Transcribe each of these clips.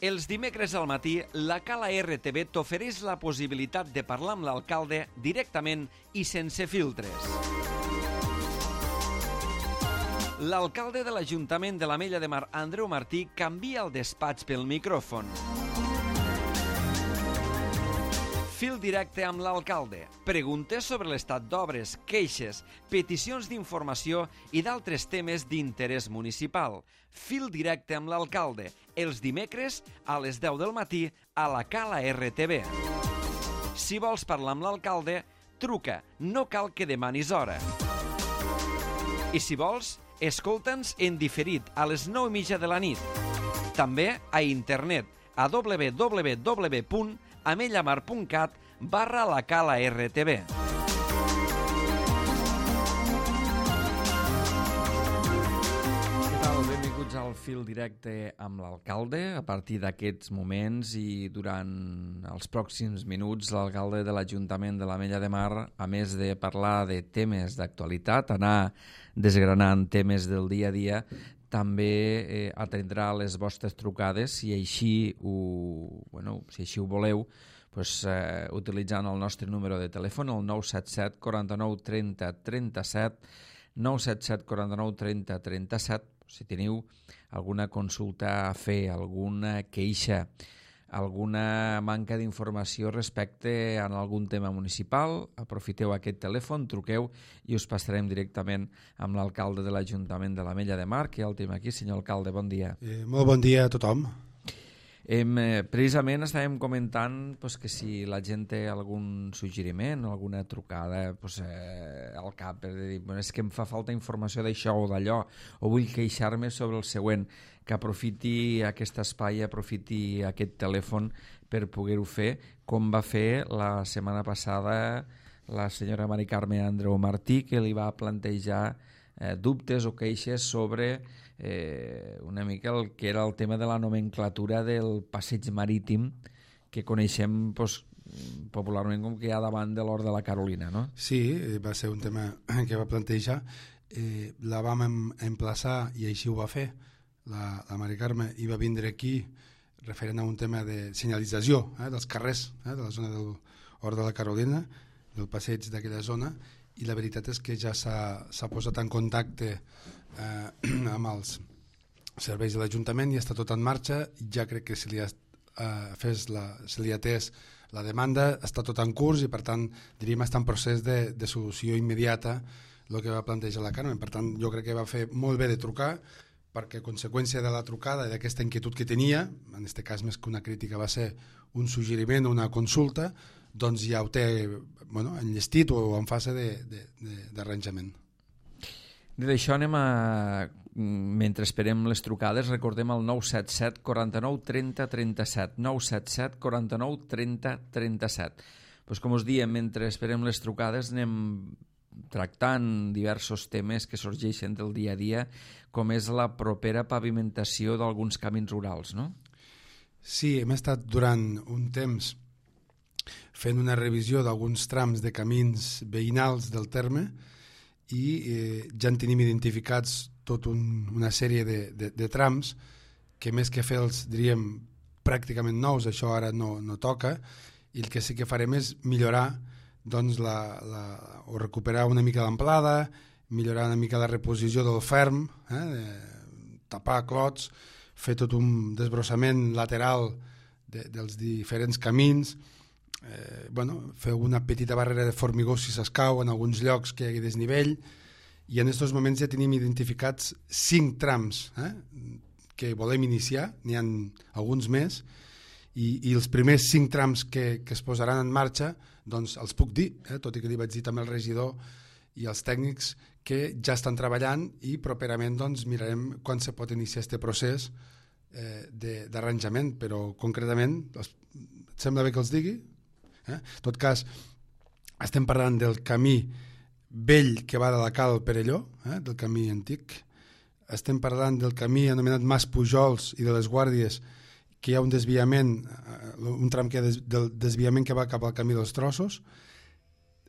Els dimecres al matí, la Cala RTV t'ofereix la possibilitat de parlar amb l'alcalde directament i sense filtres. L'alcalde de l'Ajuntament de l'Ametlla de Mar, Andreu Martí, canvia el despatx pel micròfon. Fil directe amb l'alcalde. Preguntes sobre l'estat d'obres, queixes, peticions d'informació i d'altres temes d'interès municipal. Fil directe amb l'alcalde. Els dimecres a les 10 del matí a la Cala RTV. Si vols parlar amb l'alcalde, truca. No cal que demanis hora. I si vols, escolta'ns en diferit a les 9:30 de la nit. També a internet a www.amellamar.cat/la Cala RTV. Què tal? Benvinguts al Fil Directe amb l'alcalde. A partir d'aquests moments i durant els pròxims minuts, l'alcalde de l'Ajuntament de l'Ametlla de Mar, a més de parlar de temes d'actualitat, anar desgranant temes del dia a dia, també atendrà les vostres trucades si així ho voleu, utilitzant el nostre número de telèfon, el 977 49 30 37, 977 49 30 37, si teniu alguna consulta a fer, alguna queixa, alguna manca d'informació respecte a algun tema municipal, aprofiteu aquest telèfon, truqueu i us passarem directament amb l'alcalde de l'Ajuntament de l'Ametlla de Mar, que ja el tenim aquí. Senyor alcalde, bon dia. Molt bon dia a tothom. Precisament estàvem comentant que si la gent té algun suggeriment, alguna trucada al cap, per dir, és que em fa falta informació d'això o d'allò, o vull queixar-me sobre el següent, que aprofiti aquest espai, aprofiti aquest telèfon per poder-ho fer, com va fer la setmana passada la senyora Mari Carme Andreu Martí, que li va plantejar dubtes o queixes sobre una mica el que era el tema de la nomenclatura del passeig marítim que coneixem popularment com que hi ha davant de l'Hort de la Carolina, no? Sí, va ser un tema que va plantejar. La vam emplaçar i així ho va fer. La Mari Carme hi va vindre aquí referent a un tema de senyalització dels carrers de la zona del Hort de la Carolina, del passeig d'aquella zona, i la veritat és que ja s'ha posat en contacte amb els serveis de l'Ajuntament i està tot en marxa. Ja crec que se li ha atès la demanda, està tot en curs i per tant diríem està en procés de solució immediata el que va plantejar la Carme. Per tant jo crec que va fer molt bé de trucar, perquè a conseqüència de la trucada i d'aquesta inquietud que tenia, en aquest cas més que una crítica va ser un suggeriment o una consulta, doncs ja ho té enllestit o en fase d'arranjament. Dit això, mentre esperem les trucades, recordem el 977 49 30 37, 977 49 30 37. Com us diem, mentre esperem les trucades anem tractant diversos temes que sorgeixen del dia a dia, com és la propera pavimentació d'alguns camins rurals, no? Sí, hem estat durant un temps fent una revisió d'alguns trams de camins veïnals del terme i ja en tenim identificats tota una sèrie de trams que més que fer-los, diríem, pràcticament nous, això ara no toca, i el que sí que farem és millorar o recuperar una mica l'amplada, millorar una mica la reposició del ferm, tapar clots, fer tot un desbrossament lateral dels diferents camins, fer una petita barrera de formigó si s'escau en alguns llocs que hi hagi desnivell, i en aquests moments ja tenim identificats 5 trams que volem iniciar, n'hi ha alguns més, i els primers 5 trams que es posaran en marxa doncs els puc dir, tot i que li vaig dir també al regidor i als tècnics que ja estan treballant i properament doncs mirarem quan se pot iniciar aquest procés d'arranjament, però concretament et sembla bé que els digui? En tot cas, estem parlant del camí vell que va de la Cal al Perelló, del camí antic, estem parlant del camí anomenat Mas Pujols i de les Guàrdies, que hi ha un desviament, un tram del desviament que va cap al camí dels Trossos.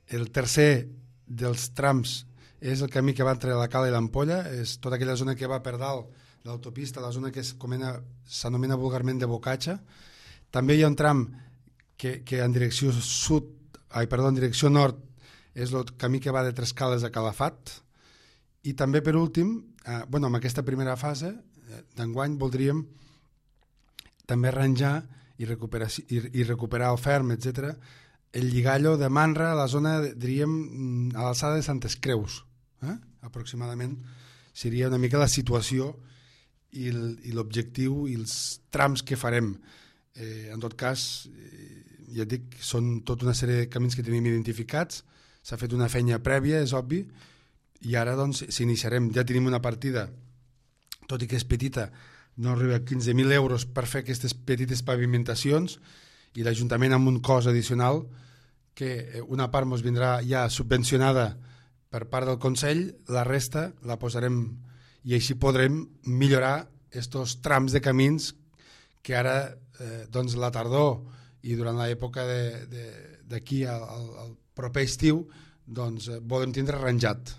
El tercer dels trams és el camí que va entre la Cala i l'Ampolla, és tota aquella zona que va per dalt l'autopista, la zona que s'anomena vulgarment de Bocatxa. També hi ha un tram que en direcció en direcció nord és el camí que va de Trescales a Calafat. I també, per últim, en aquesta primera fase d'enguany voldríem també arranjar i recuperar el ferm, etc., el lligallo de Manra a la zona, diríem, a l'alçada de Santes Creus. Aproximadament seria una mica la situació i l'objectiu i els trams que farem. En tot cas, ja et dic, són tota una sèrie de camins que tenim identificats, s'ha fet una feina prèvia, és obvi, i ara doncs s'iniciarem. Ja tenim una partida, tot i que és petita, no arriba a 15.000 euros per fer aquestes petites pavimentacions, i l'Ajuntament amb un cost addicional que una part ens vindrà ja subvencionada per part del Consell, la resta la posarem i així podrem millorar aquests trams de camins que ara doncs la tardor i durant l'època d'aquí al proper estiu doncs volem tindre arranjat.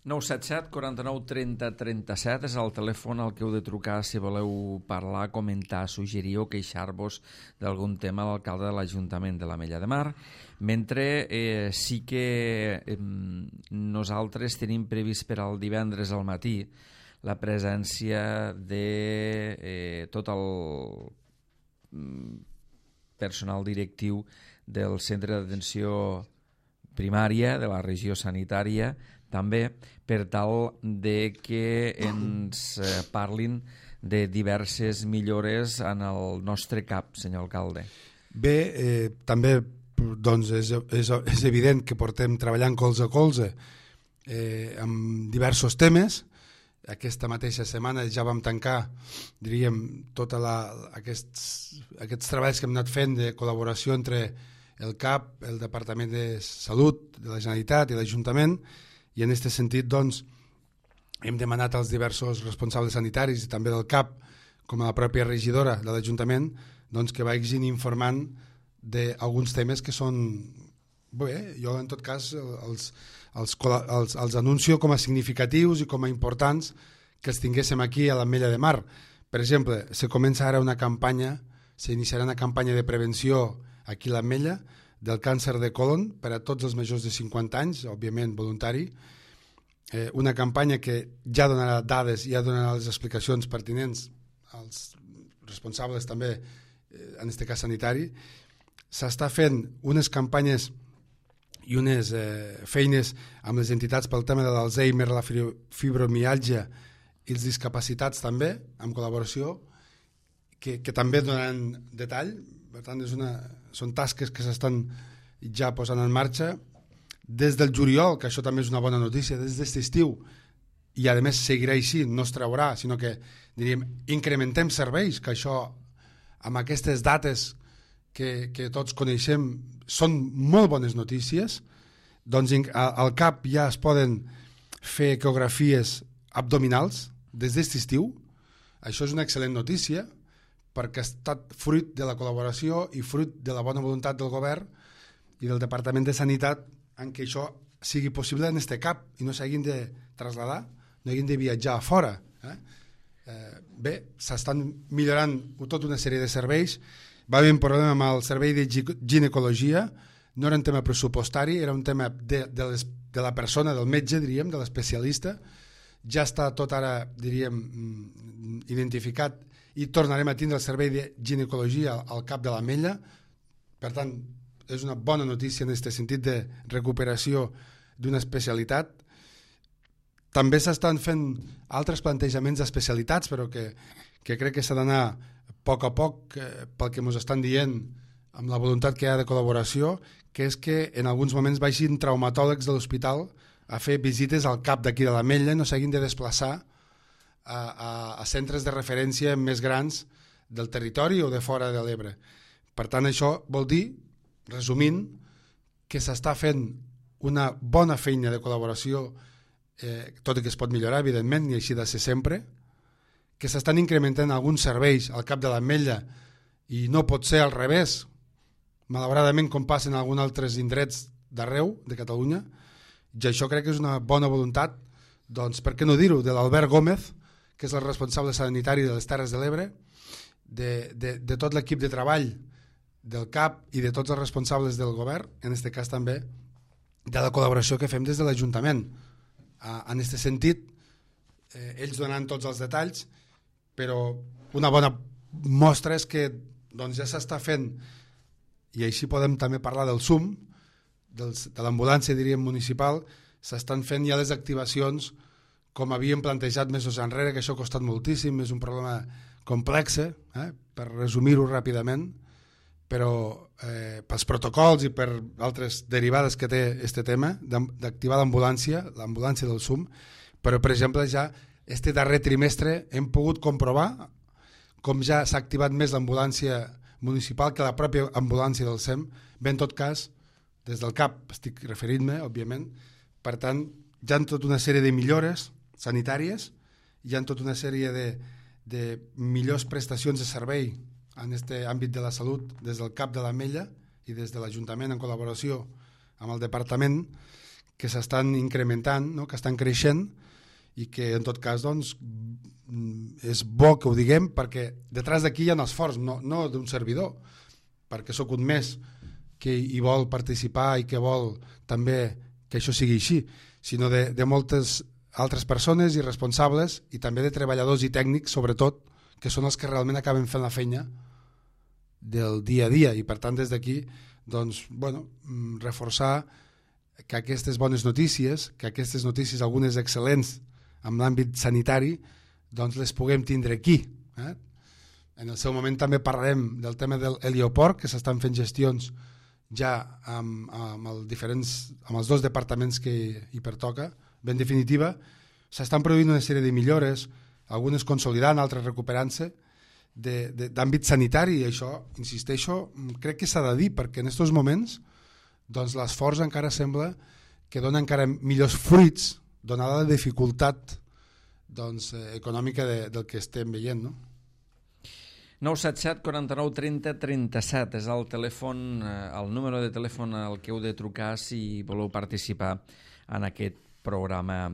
977 49 30 37 és el telèfon al que heu de trucar si voleu parlar, comentar, suggerir o queixar-vos d'algun tema a l'alcalde de l'Ajuntament de l'Ametlla de Mar, mentre sí que nosaltres tenim previst per al divendres al matí la presència de tot el personal directiu del centre d'atenció primària de la regió sanitària, també per tal de que ens parlin de diverses millores en el nostre CAP, senyor alcalde. Bé, també doncs és evident que portem treballant colze a colze amb diversos temes. Aquesta mateixa setmana ja vam tancar, diríem, tots aquests treballs que hem anat fent de col·laboració entre el CAP, el Departament de Salut de la Generalitat i l'Ajuntament, i en aquest sentit doncs, hem demanat als diversos responsables sanitaris i també del CAP, com a la pròpia regidora de l'Ajuntament, doncs, que vagin informant d'alguns temes que són... Bé, jo en tot cas els anuncio com a significatius i com a importants que els tinguéssim aquí a l'Ametlla de Mar. Per exemple, se comença ara una campanya, s'iniciarà una campanya de prevenció aquí a l'Ametlla del càncer de còlon per a tots els majors de 50 anys, òbviament voluntari, una campanya que ja donarà dades i ja donarà les explicacions pertinents als responsables també, en aquest cas sanitari. S'està fent unes campanyes i unes feines amb les entitats pel tema de l'Alzheimer, la fibromiàlgia i els discapacitats també, amb col·laboració, que també donaran detall. Per tant, són tasques que s'estan ja posant en marxa des del juliol, que això també és una bona notícia, des d'aquest estiu, i a més seguirà així, no es traurà, sinó que diríem, incrementem serveis, que això amb aquestes dates que tots coneixem són molt bones notícies. Doncs al CAP ja es poden fer ecografies abdominals des d'aquest estiu. Això és una excel·lent notícia perquè ha estat fruit de la col·laboració i fruit de la bona voluntat del govern i del Departament de Sanitat en què això sigui possible en este CAP i no s'hagin de traslladar, no hagin de viatjar a fora. Bé, s'estan millorant tota una sèrie de serveis. Va haver un problema amb el servei de ginecologia, no era un tema pressupostari, era un tema de la persona, del metge, diríem, de l'especialista. Ja està tot ara, diríem, identificat i tornarem a tindre el servei de ginecologia al CAP de l'Ametlla. Per tant, és una bona notícia en aquest sentit de recuperació d'una especialitat. També s'estan fent altres plantejaments d'especialitats, però que crec que s'ha d'anar a poc pel que ens estan dient amb la voluntat que hi ha de col·laboració, que és que en alguns moments vagin traumatòlegs de l'hospital a fer visites al CAP d'aquí de l'Ametlla i no s'hagin de desplaçar a centres de referència més grans del territori o de fora de l'Ebre. Per tant, això vol dir, resumint, que s'està fent una bona feina de col·laboració, tot i que es pot millorar, evidentment, i així de ser sempre, que s'estan incrementant alguns serveis al CAP de l'Ametlla i no pot ser al revés, malauradament com passa en alguns altres indrets d'arreu de Catalunya, i això crec que és una bona voluntat, doncs per què no dir-ho, de l'Albert Gómez, que és el responsable sanitari de les Terres de l'Ebre, de tot l'equip de treball del CAP i de tots els responsables del govern, en aquest cas també de la col·laboració que fem des de l'Ajuntament. En aquest sentit, ells donen tots els detalls, però una bona mostra és que doncs, ja s'està fent, i així podem també parlar del SUM, de l'ambulància, diríem, municipal, s'estan fent ja les activacions com havíem plantejat mesos enrere, que això ha costat moltíssim, és un problema complex, per resumir-ho ràpidament, però pels protocols i per altres derivades que té aquest tema d'activar l'ambulància del SUM, però per exemple ja este darrer trimestre hem pogut comprovar com ja s'ha activat més l'ambulància municipal que la pròpia ambulància del SEM, bé en tot cas des del CAP estic referint-me, òbviament. Per tant, hi ha tota una sèrie de millores sanitàries, hi ha tota una sèrie de millors prestacions de servei en aquest àmbit de la salut des del CAP de l'Ametlla i des de l'Ajuntament en col·laboració amb el departament, que s'estan incrementant, no? Que estan creixent i que en tot cas doncs, és bo que ho diguem perquè detrás d'aquí hi ha un esforç, no d'un servidor, perquè sóc un més que hi vol participar i que vol també que això sigui així, sinó de moltes altres persones i responsables i també de treballadors i tècnics, sobretot, que són els que realment acaben fent la feina del dia a dia i per tant des d'aquí doncs, bueno, reforçar que aquestes bones notícies, que aquestes notícies, algunes excel·lents en l'àmbit sanitari, doncs les puguem tindre aquí. En el seu moment també parlarem del tema del helioport, que s'estan fent gestions ja amb els dos departaments que hi pertoca. En definitiva, s'estan produint una sèrie de millores, algunes consolidant, altres recuperant-se, d'àmbit sanitari, i això, insisteixo, crec que s'ha de dir, perquè en aquests moments doncs, l'esforç encara sembla que dona encara millors fruits, donada la dificultat doncs, econòmica del que estem veient, no? 977 49 30 37 és el telèfon, el número de telèfon al que heu de trucar si voleu participar en aquest programa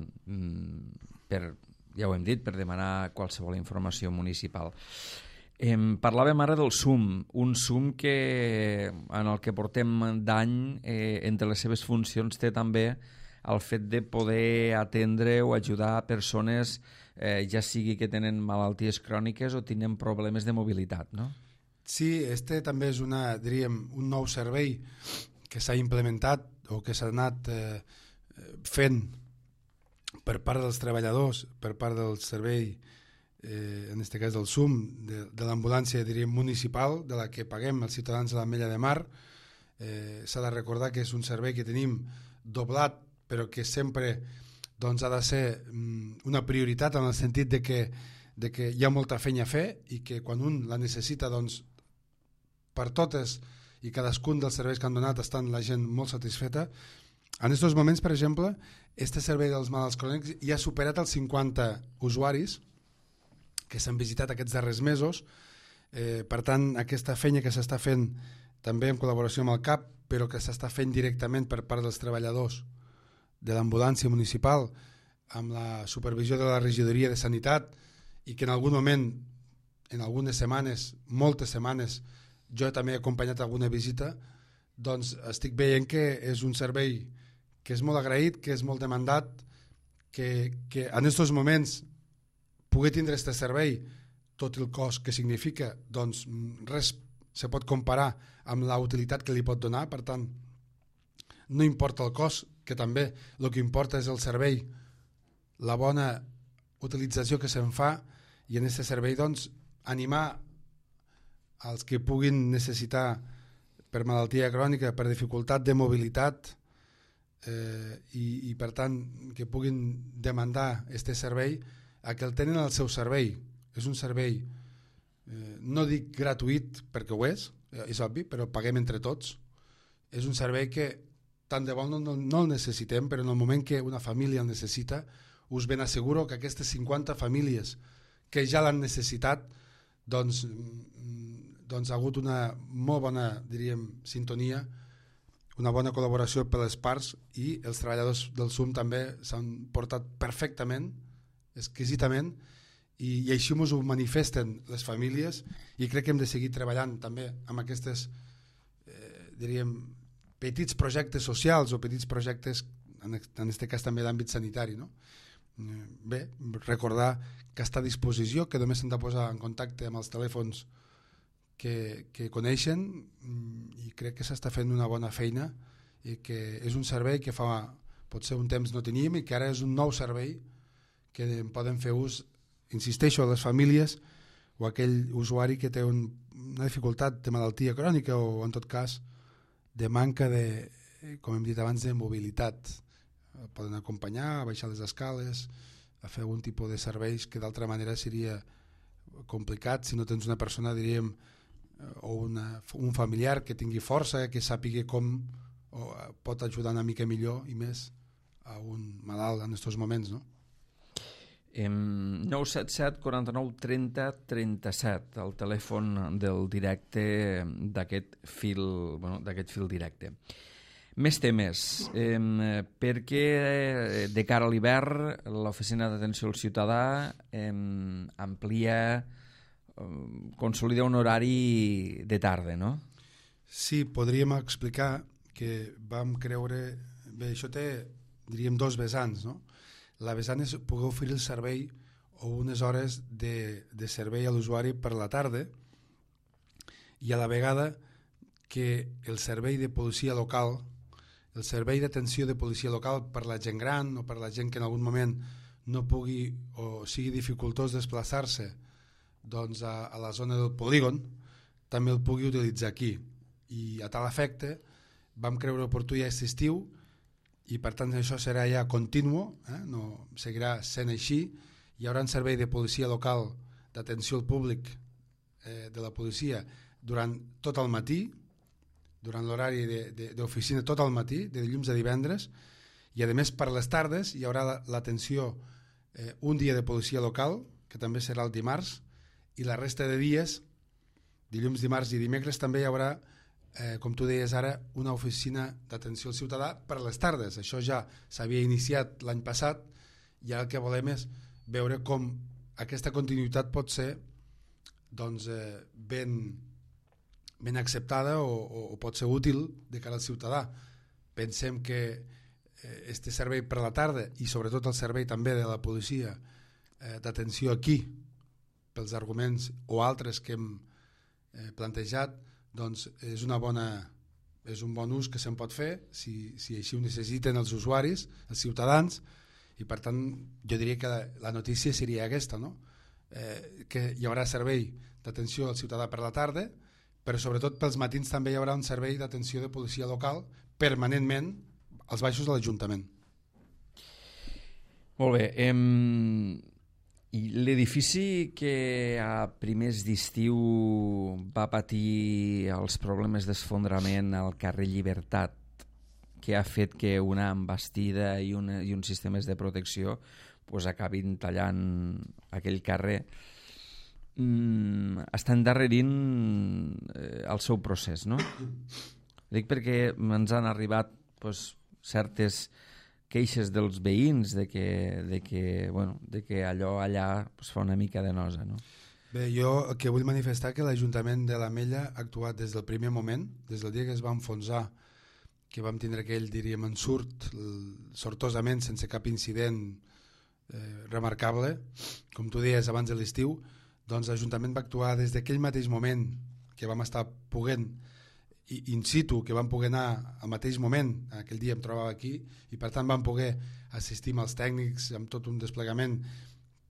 ja ho hem dit, per demanar qualsevol informació municipal. Parlàvem ara del SUM, un SUM que en el que portem d'any entre les seves funcions té també el fet de poder atendre o ajudar persones ja sigui que tenen malalties cròniques o tenen problemes de mobilitat, no? Sí, este també és diríem, un nou servei que s'ha implementat o que s'ha anat fent per part dels treballadors, per part del servei, en aquest cas del SUM, de l'ambulància diríem municipal, de la que paguem els ciutadans de l'Ametlla de Mar. S'ha de recordar que és un servei que tenim doblat, però que sempre doncs, ha de ser una prioritat en el sentit de que hi ha molta feina a fer i que quan un la necessita doncs, per totes i cadascun dels serveis que han donat estan la gent molt satisfeta. En aquests moments, per exemple, este servei dels malalts crònics ja ha superat els 50 usuaris que s'han visitat aquests darrers mesos. Per tant, aquesta feina que s'està fent també en col·laboració amb el CAP, però que s'està fent directament per part dels treballadors de l'ambulància municipal, amb la supervisió de la regidoria de sanitat, i que en algun moment, en algunes setmanes, moltes setmanes, jo també he acompanyat alguna visita, doncs estic veient que és un servei que és molt agraït, que és molt demandat, que en aquests moments poder tindre aquest servei, tot el cost que significa, doncs res se pot comparar amb la utilitat que li pot donar. Per tant, no importa el cost, que també el que importa és el servei, la bona utilització que se'n fa, i en aquest servei doncs, animar els que puguin necessitar per malaltia crònica, per dificultat de mobilitat, i per tant que puguin demandar aquest servei, a que el tenen al seu servei. És un servei, no dic gratuït perquè ho és obvi, però paguem entre tots. És un servei que tant de bo no el necessitem, però en el moment que una família el necessita, us ben asseguro que aquestes 50 famílies que ja l'han necessitat, doncs ha hagut una molt bona, diríem, sintonia, una bona col·laboració per les parts, i els treballadors del SUM també s'han portat perfectament, exquisidament, i així ens ho manifesten les famílies, i crec que hem de seguir treballant també amb aquestes diríem petits projectes socials o petits projectes en aquest cas també d'àmbit sanitari, no? Bé, recordar que està a disposició, que només s'han de posar en contacte amb els telèfons que coneixen, i crec que s'està fent una bona feina i que és un servei que fa potser un temps no teníem i que ara és un nou servei que en poden fer ús, insisteixo, a les famílies o aquell usuari que té una dificultat de malaltia crònica o en tot cas de manca de, com hem dit abans, de mobilitat. Poden acompanyar, a baixar les escales, a fer algun tipus de serveis que d'altra manera seria complicat si no tens una persona, diríem, o un familiar que tingui força, que sàpiga com pot ajudar una mica millor i més a un malalt en aquests moments, no? 977 49 30 37, el telèfon del directe d'aquest fil directe. Més temes, perquè de cara a l'hivern l'Oficina d'Atenció al Ciutadà amplia, consolida un horari de tarda, no? Sí, podríem explicar que vam creure... Bé, això té, diríem, dos vessants, no? La vessant és poder oferir el servei o unes hores de servei a l'usuari per la tarda, i a la vegada que el servei de policia local, el servei d'atenció de policia local per la gent gran o per la gent que en algun moment no pugui o sigui dificultós desplaçar-se doncs a la zona del polígon, també el pugui utilitzar aquí. I a tal efecte vam creure oportú ja aquest estiu, i per tant això serà ja continu, no seguirà sent així. Hi haurà un servei de policia local d'atenció al públic de la policia durant tot el matí, durant l'horari d'oficina tot el matí, de dilluns a divendres, i a més per les tardes hi haurà l'atenció un dia de policia local, que també serà el dimarts, i la resta de dies, dilluns, dimarts i dimecres, també hi haurà, com tu deies ara, una oficina d'atenció al ciutadà per les tardes. Això ja s'havia iniciat l'any passat, i ara el que volem és veure com aquesta continuïtat pot ser doncs, ben acceptada o pot ser útil de cara al ciutadà. Pensem que este servei per la tarda, i sobretot el servei també de la policia d'atenció aquí, pels arguments o altres que hem plantejat, doncs és un bon ús que se'n pot fer si així ho necessiten els usuaris, els ciutadans, i per tant jo diria que la notícia seria aquesta, no? Que hi haurà servei d'atenció al ciutadà per la tarda, però sobretot pels matins també hi haurà un servei d'atenció de policia local permanentment als baixos de l'Ajuntament. Molt bé, i l'edifici que a primers d'estiu va patir els problemes d'esfondrament al carrer Llibertat, que ha fet que una embastida i uns sistemes de protecció acabin tallant aquell carrer, està endarrerint el seu procés, no? Dic perquè ens han arribat certes queixes dels veïns de que allò allà fa una mica de nosa, no? Bé, jo el que vull manifestar que l'Ajuntament de l'Ametlla ha actuat des del primer moment, des del dia que es va enfonsar, que vam tindre aquell, diríem, ensurt, sortosament, sense cap incident remarcable, com tu deies, abans de l'estiu, doncs l'Ajuntament va actuar des d'aquell mateix moment que vam estar poguent in situ, que vam poder anar al mateix moment, aquell dia em trobava aquí, i per tant vam poder assistir amb els tècnics amb tot un desplegament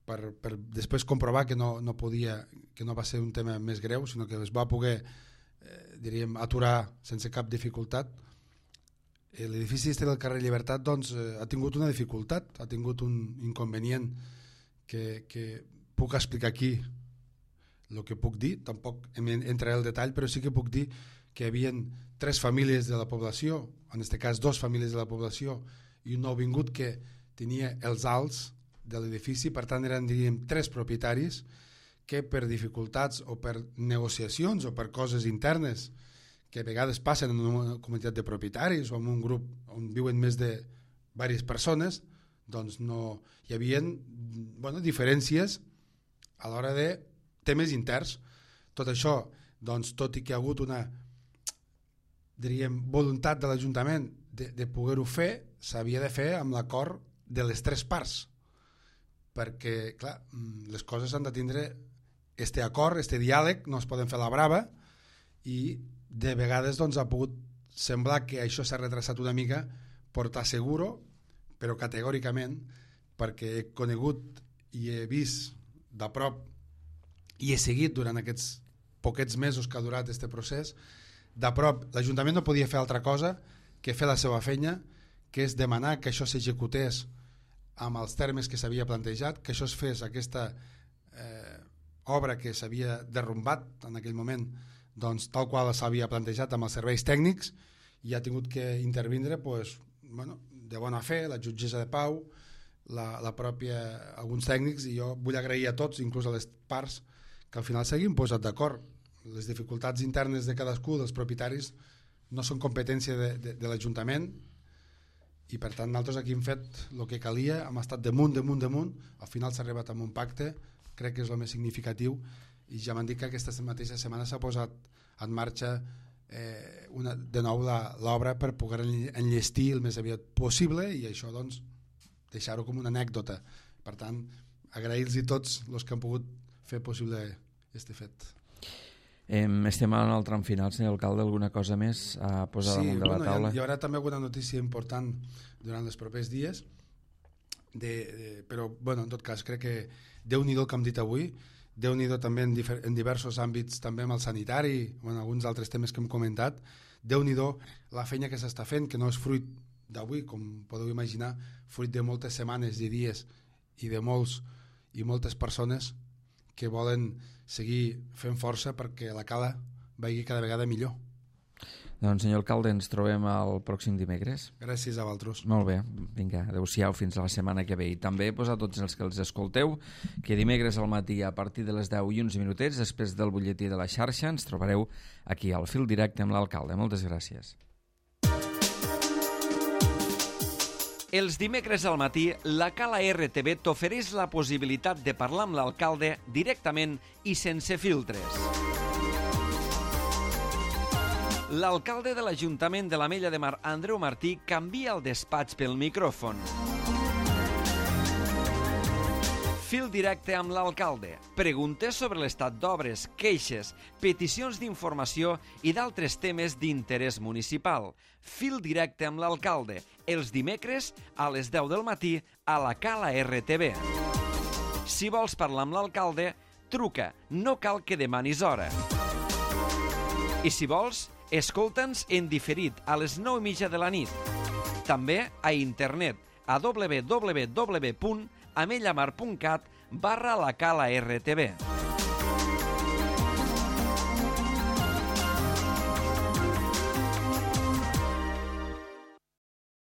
per després comprovar que no va ser un tema més greu, sinó que es va poder diríem, aturar sense cap dificultat. L'edifici del carrer Llibertat doncs, ha tingut una dificultat, ha tingut un inconvenient que puc explicar aquí el que puc dir, tampoc entraré al detall, però sí que puc dir que hi havia 3 famílies de la població, en aquest cas 2 famílies de la població i un nouvingut que tenia els alts de l'edifici, per tant eren, diríem, 3 propietaris que per dificultats o per negociacions o per coses internes que a vegades passen en una comunitat de propietaris o en un grup on viuen més de diverses persones, doncs no hi havia diferències a l'hora de temes interns. Tot això, doncs, tot i que hi ha hagut una, diríem, voluntat de l'Ajuntament de poder-ho fer, s'havia de fer amb l'acord de les tres parts, perquè, clar, les coses han de tindre este acord, este diàleg, no es poden fer a la brava, i de vegades doncs, ha pogut semblar que això s'ha retrasat una mica, portar seguro, però categòricament, perquè he conegut i he vist de prop i he seguit durant aquests poquets mesos que ha durat aquest procés, de prop, l'Ajuntament no podia fer altra cosa que fer la seva feina, que és demanar que això s'executés amb els termes que s'havia plantejat, que això es fes, aquesta obra que s'havia derrumbat en aquell moment, doncs, tal qual s'havia plantejat amb els serveis tècnics, i ha tingut que intervindre pues, bueno, de bona fe, la jutgessa de pau, la pròpia, alguns tècnics, i jo vull agrair a tots, inclús a les parts, que al final s'hagin posat d'acord. Les dificultats internes de cadascú dels propietaris no són competència de l'Ajuntament, i per tant nosaltres aquí hem fet el que calia, hem estat damunt, al final s'ha arribat a un pacte, crec que és el més significatiu, i ja m'han dit que aquesta mateixa setmana s'ha posat en marxa de nou l'obra per poder enllestir el més aviat possible, i això doncs deixar-ho com una anècdota. Per tant, agrair-los tots els que han pogut fer possible aquest fet. Estem en el tram final, senyor alcalde, alguna cosa més a posar damunt de la taula? Hi haurà també alguna notícia important durant els propers dies, però bueno, en tot cas crec que Déu-n'hi-do el que hem dit avui, Déu-n'hi-do també en diversos àmbits, també amb el sanitari o en alguns altres temes que hem comentat, Déu-n'hi-do la feina que s'està fent, que no és fruit d'avui, com podeu imaginar, fruit de moltes setmanes i dies i de molts i moltes persones que volen seguir fent força perquè la cala vagi cada vegada millor. Doncs, senyor alcalde, ens trobem el pròxim dimecres. Gràcies a vosaltres. Molt bé, vinga, adeu-siau fins a la setmana que ve. I també a tots els que els escolteu, que dimecres al matí a partir de les 10 i uns minutets, després del butlletí de la xarxa, ens trobareu aquí al fil directe amb l'alcalde. Moltes gràcies. Els dimecres al matí, la Cala RTV t'ofereix la possibilitat de parlar amb l'alcalde directament i sense filtres. L'alcalde de l'Ajuntament de l'Ametlla de Mar, Andreu Martí, canvia el despatx pel micròfon. Fil directe amb l'alcalde. Preguntes sobre l'estat d'obres, queixes, peticions d'informació i d'altres temes d'interès municipal. Fil directe amb l'alcalde. Els dimecres a les 10 del matí a la Cala RTV. Si vols parlar amb l'alcalde, truca. No cal que demanis hora. I si vols, escolta'ns en diferit a les 9:30 de la nit. També a internet a www.amellamar.cat/la Cala RTV.